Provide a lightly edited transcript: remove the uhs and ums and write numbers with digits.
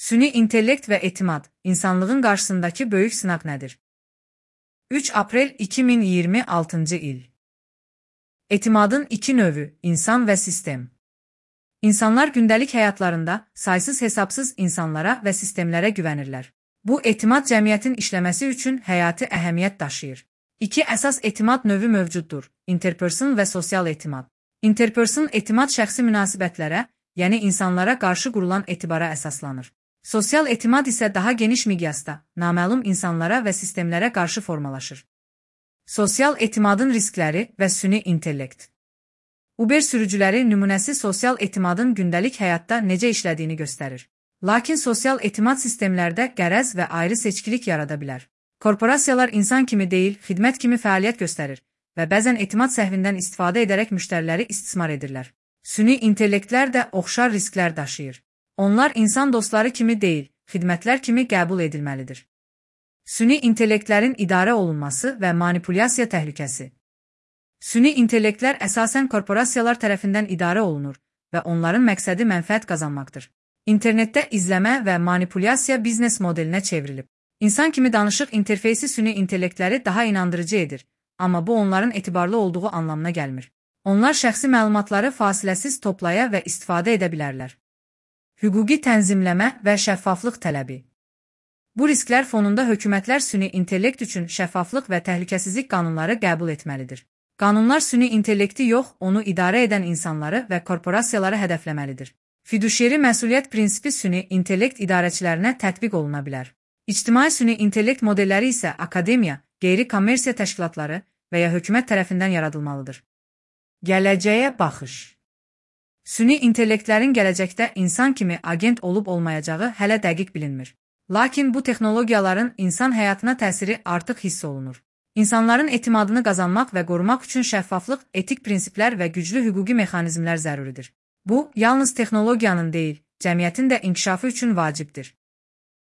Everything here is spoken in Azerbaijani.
Süni intellekt və etimad, insanlığın qarşısındakı böyük sınaq nədir? 3 aprel 2026 il. Etimadın iki növü, insan və sistem. İnsanlar gündəlik həyatlarında saysız-hesabsız insanlara və sistemlərə güvənirlər. Bu etimad cəmiyyətin işləməsi üçün həyati əhəmiyyət daşıyır. İki əsas etimad növü mövcuddur: interperson və sosial etimad. Interperson etimad şəxsi münasibətlərə, yəni insanlara qarşı qurulan etibara əsaslanır. Sosial etimad isə daha geniş miqyasda, naməlum insanlara və sistemlərə qarşı formalaşır. Sosial etimadın riskləri və süni intellekt. Uber sürücüləri nümunəsi sosial etimadın gündəlik həyatda necə işlədiyini göstərir. Lakin sosial etimad sistemlərdə qərəz və ayrı seçkilik yarada bilər. Korporasiyalar insan kimi deyil, xidmət kimi fəaliyyət göstərir və bəzən etimad səhvindən istifadə edərək müştəriləri istismar edirlər. Süni intellektlər də oxşar risklər daşıyır. Onlar insan dostları kimi deyil, xidmətlər kimi qəbul edilməlidir. Süni intellektlərin idarə olunması və manipulyasiya təhlükəsi. Süni intellektlər əsasən korporasiyalar tərəfindən idarə olunur və onların məqsədi mənfəət qazanmaqdır. İnternetdə izləmə və manipulyasiya biznes modelinə çevrilib. İnsan kimi danışıq interfeysi süni intellektləri daha inandırıcı edir, amma bu onların etibarlı olduğu anlamına gəlmir. Onlar şəxsi məlumatları fasiləsiz toplaya və istifadə edə bilərlər. Hüquqi tənzimləmə və şəffaflıq tələbi. Bu risklər fonunda hökumətlər süni intellekt üçün şəffaflıq və təhlükəsizlik qanunları qəbul etməlidir. Qanunlar süni intellekti yox, onu idarə edən insanları və korporasiyaları hədəfləməlidir. Fiduşiyeri məsuliyyət prinsipi süni intellekt idarəçilərinə tətbiq oluna bilər. İctimai süni intellekt modelləri isə akademiya, qeyri-kommersiya təşkilatları və ya hökumət tərəfindən yaradılmalıdır. Gələcəyə baxış. Süni intellektlərin gələcəkdə insan kimi agent olub-olmayacağı hələ dəqiq bilinmir. Lakin bu texnologiyaların insan həyatına təsiri artıq hiss olunur. İnsanların etimadını qazanmaq və qorumaq üçün şəffaflıq, etik prinsiplər və güclü hüquqi mexanizmlər zəruridir. Bu, yalnız texnologiyanın deyil, cəmiyyətin də inkişafı üçün vacibdir.